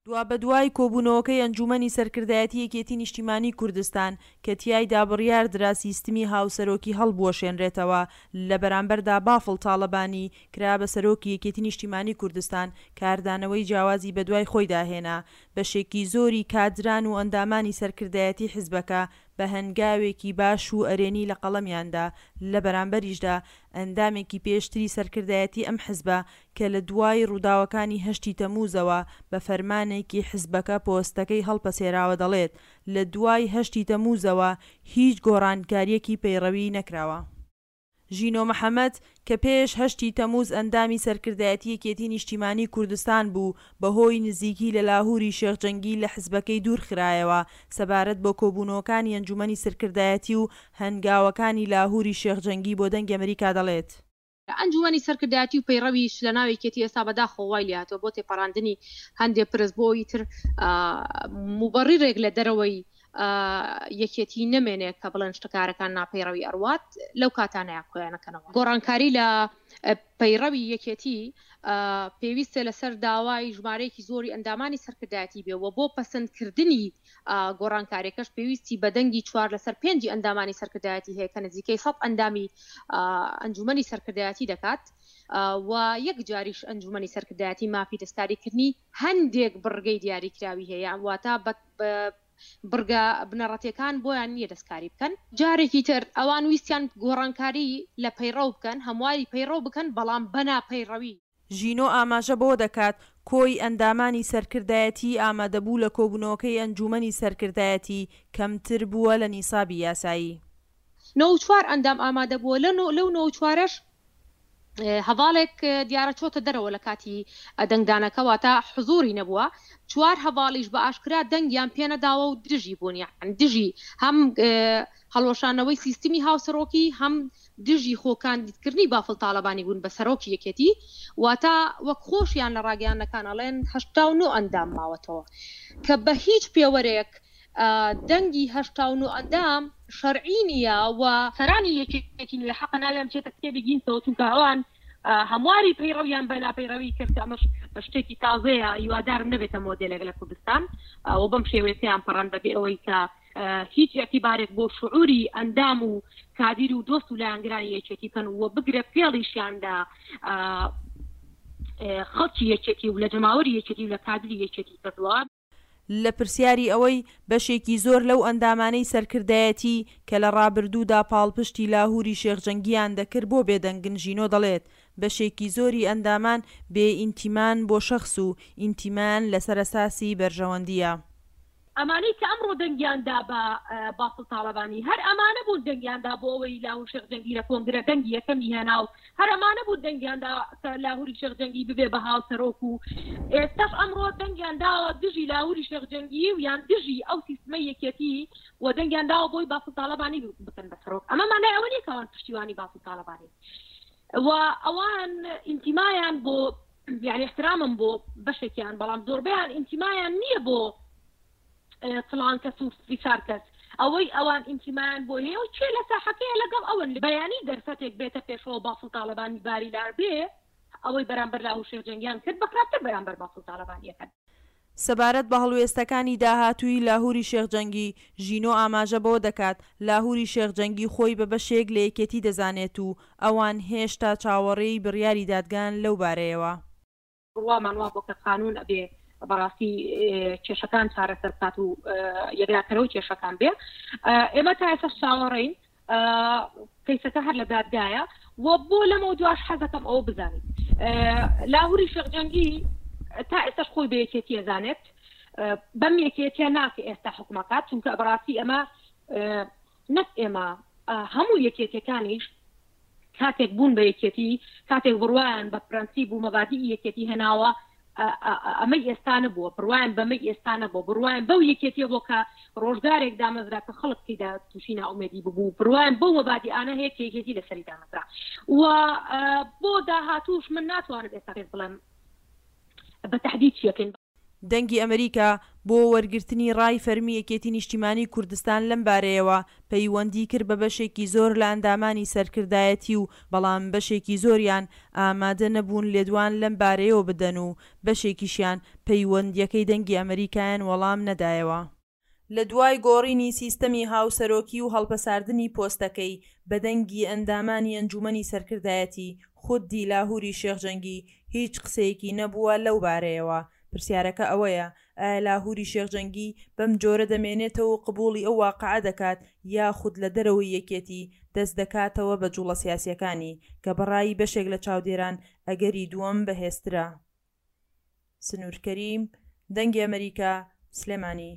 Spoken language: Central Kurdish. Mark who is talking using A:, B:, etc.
A: دوابەدوای کۆبوونەوەکەی ئەنجوومەنی سەرکردایەتی یەکێتی نیشتیمانی کوردستان کە تیایدا بڕیاردرا سیستمی هاوسەرۆکی هەڵبوەشێنرێتەوە، لە بەرامبەردا بافڵ تاڵەبانی کرا بە سەرۆکی یەکێتی نیشتیمانی کوردستان، کاردانەوەی جیاوازی بەدوای خۆیدا هێنا، بەشێکی زۆری کادران و ئەندامانی سەرکردایەتی حزبەکە بە هەنگاوێکی باش و ئەرێنی لە قەڵەمیان دا، لە بەرامبەریشدا ئەندامێکی پێشتری سەرکردایەتی ئەم حزبە کە لە دوای ڕووداوەکانی هەشتی تەمووزەوە بە فەرمانێکی حزبەکە پۆستەکەی هەڵپەسێراوە دەڵێت، لە دوای هەشتی تەمووزەوە هیچ گۆڕانکارییەکی پەیڕەوی نەکراوە. ژینۆ محەمەد، کە پێش هەشتی تەمووز ئەندامی سەرکردایەتی یەکێتی نیشتیمانی کوردستان بوو، بەهۆی نزیکی لە لاهوری شێخ جەنگی لە حزبەکەی دوورخرایەوە، سەبارەت بە کۆبوونەوەکانی ئەنجومەنی سرکردایەتی و هەنگاوەکانی لاهوری شێخ جەنگی بۆ دەنگی ئەمریکا دەڵێت.
B: ئەنجومەنی سەرکردایەتی و پەیڕەویش لە ناو یەکێتی ئێستا بەداخەوە وای لێهاتووە بۆ تێپەڕاندنی هەندێ پرس بۆ ئیتر موبەڕیرێک لە دەرەوەی یەکێتی نەمێنێ کە بڵێن شتەکارەکان ناپەیڕەوی ئەڕوات لەو کاتانەیە کۆیانەکەنەوە گۆڕانکاری لە پەیڕەوی یەکێتی پێویستە لەسەر داوای ژمارەیەکی زۆری ئەندامانی سەرکردایەتی بێ و بۆ پەسەندکردنی گۆڕانکاریەکەش پێویستی بە دەنگی چوار لەسەر پێنجی ئەندامانی سەرکردایەتی هەیە کە نزیکەی سەد ئەندامی ئەنجومەنی سەرکردایەتی دەکات و یەک جاریش ئەنجومەنی سەرکردایەتی مافی دەستکاریکردنی هەندێک بڕگەی دیاریکراوی هەیە واتە بە بڕگە بنەڕەتیەکان بۆیان نییە دەستکاری بکەن. جارێکی تر ئەوان ویستیان گۆڕانکاری لە پەیڕەو بکەن، هەمواری پەیڕەو بکەن، بەڵام بە ناپەیڕەوی.
A: ژینۆ ئاماژە بەوە دەکات، کۆی ئەندامانی سەرکردایەتیی ئامادەبوو لە کۆبوونەوەکەی ئەنجوومەنی سەرکردایەتی کەمتر بووە لە نیسابی یاسایی.
B: 94 ئەندام ئامادەبووە، لەو نۆ و چوارەش هەڤاڵێک دیارە چۆتە دەرەوە لە کاتی دەنگدانەکە واتە حزوری نەبووە چوار هەڤاڵیش بە ئاشکرا دەنگیان پێنەداوە و دژی بوون یان دژی هەم هەڵوەشانەوەی سیستمی هاوسەرۆکی هەم دژی خۆ کاندیدکردنی بافڵ تاڵەبانی بوون بە سەرۆکی یەکێتی واتە وەک خۆشیان لە ڕاگەیاندنەکان ئەڵێن 89 ئەندام ماوەتەوە کە بە هیچ پێوەرێک دەنگی 89 ئەندام شەرعی نییە و سەرانی یەکێتی نوێ حەقە ناویان بچێتە کتێبی گینسەوە چونکە ئەوان هەمواری پەیڕەویان بە ناپەیڕەوی کرد کە ئەمەش شتێکی تازەیە هیوادارم نەبێتە مۆدێلێک لە کوردستان و بەم شێوەیە تێیان پەڕاند بەبێ ئەوەی کە هیچ ئیعتیبارێک بۆ شعوری ئەندام و کادیر و دۆست و لایەنگرانی یەکێتی بکەن و بگرە فێڵیشیان لە خەڵکی یەکێتی و لە جەماوەری یەکێتی و لە کادری یەکێتی کردووە.
A: لە پرسیاری ئەوەی بەشێکی زۆر لەو ئەندامانەی سەرکردایەتی کە لە ڕابردوودا پاڵپشتی لاهوری شێخ جەنگییان دەکرد بۆ بێدەنگن ژینۆ دەڵێت بەشێکی زۆری ئەندامان بێ ئینتیمان بۆ شەخس و ئینتیمایان لەسەر ئەساسی بەرژەوەندییە.
B: ئەمانەی کە ئەمڕۆ دەنگیان دا بە بافڵ تاڵەبانی هەر ئەمانە بوون دەنگیان دا بۆ ئەوەی لاهور شێخ جەنگی لە کۆنگرە دەنگی یەکەمی هێنا و هەر ئەمانە بوون دەنگیان دا کە لاهوری شێخ جەنگی ببێ بە هاوسەرۆک و ئێستاش ئەمڕۆ دەنگیان داوە دژی لاهوری شێخ جەنگی و یان دژی ئەو سیستمەی یەکێتی و دەنگیان داوە بۆی بافڵ تاڵەبانی بکەن بە سەرۆک ئەمە مانای ئەوە نییە کە ئەوان پشتیوانی بافڵ تاڵەبانین و ئەوان ئینتیمایان بۆ یعنی احترامم بۆ بەشێکیان بەڵام زۆربەیان ئینتیمایان نییە بۆ فلان کەس و فیسار کەس ئەوەی ئەوان ئینتیمایان بۆ هەیە و کێ لە ساحەکەیە لەگەڵ ئەوەن بەیانی دەرفەتێک بێتە پێشەوە بافڵ تاڵەبانی باری لار بێ ئەوەی بەرامبەر لاهور شێخ جەنگیان کرد بە خراپتر بەرامبەر بافڵ تاڵەبانی ئەکەن.
A: سەبارەت بە هەڵوێستەکانی داهاتووی لاهوری شێخ جەنگی، ژینۆ ئاماژە بەوە دەکات، لاهوری شێخ جەنگی خۆی بە بەشێک لە یەکێتی دەزانێت و ئەوان هێشتا چاوەڕێی بڕیاری دادگان لەو بارەیەوە.
B: بڕوامان وابووە کە قانوون ئەبێ بەڕاستی کێشەکان چارەسەر بکات و یەکلاکەرەوەی کێشەکان بێ. ئێمە تا ئێستاش چاوەڕێین، کەیسەکە هەر لە دادگایە و بۆ لەمەو دواش حەزەکەم ئەوە بزانیت لاهوری شێخ جەنگی تا ئێستاش خۆی بە یەکێتی ئەزانێت بەم یەکێتیە ناکە ئێستا حکومەکات چونکە بەڕاستی ئەمە نەک ئێمە هەموو یەکێتیەکانیش کاتێک بوون بە یەکێتی، کاتێک بڕوایان بە پرەنسیپ و مەبادیئی یەکێتی هێناوە، ئەمەی ئێستا نەبووە، بڕوایان بەمەی ئێستا نەبووە، بڕوایان بەو یەکێتیە بووە کە ڕۆژگارێک دامەزرا کە خەڵک تێیدا تووشی نائومێدی ببوو، بڕوایان بەو مەبادیئانە هەیە کە یەکێتی لەسەری دامەزرا و بۆ داهاتووش من ناتوانم ئێستا پێت بڵێم بە تەحدید چی ئەکەین.
A: دەنگی ئەمریکا بۆ وەرگرتنی ڕای فەرمی یەکێتی نیشتیمانی کوردستان لەم بارەیەوە پەیوەندی کرد بە بەشێکی زۆر لە ئەندامانی سەرکردایەتی و بەڵام بەشێکی زۆریان ئامادە نەبوون لێدوان لەم بارەیەوە بدەن و بەشێکیشیان پەیوەندیەکەی دەنگی ئەمەریکایان وەڵام نەدایەوە. لە دوای گۆڕینی سیستەمی هاوسەرۆکی و هەڵپەساردنی پۆستەکەی بە دەنگی ئەندامانی ئەنجومەنی سەرکردایەتی، خودی لاهوری شێخ جەنگی هیچ قسەیەکی نەبووە لەو بارەیەوە. پرسیارەکە ئەوەیە ئایا لاهوری شێخ جەنگی بەم جۆرە دەمێنێتەوە و قبوڵی ئەو واقعە دەکات یاخود لە دەرەوەی یەکێتی دەست دەکاتەوە بە جوڵە سیاسیەکانی کە بەڕای بەشێک لە چاودێران ئەگەری دووەم بەهێزترە. سنور کەریم، دەنگی ئەمەریکا، سلێمانی.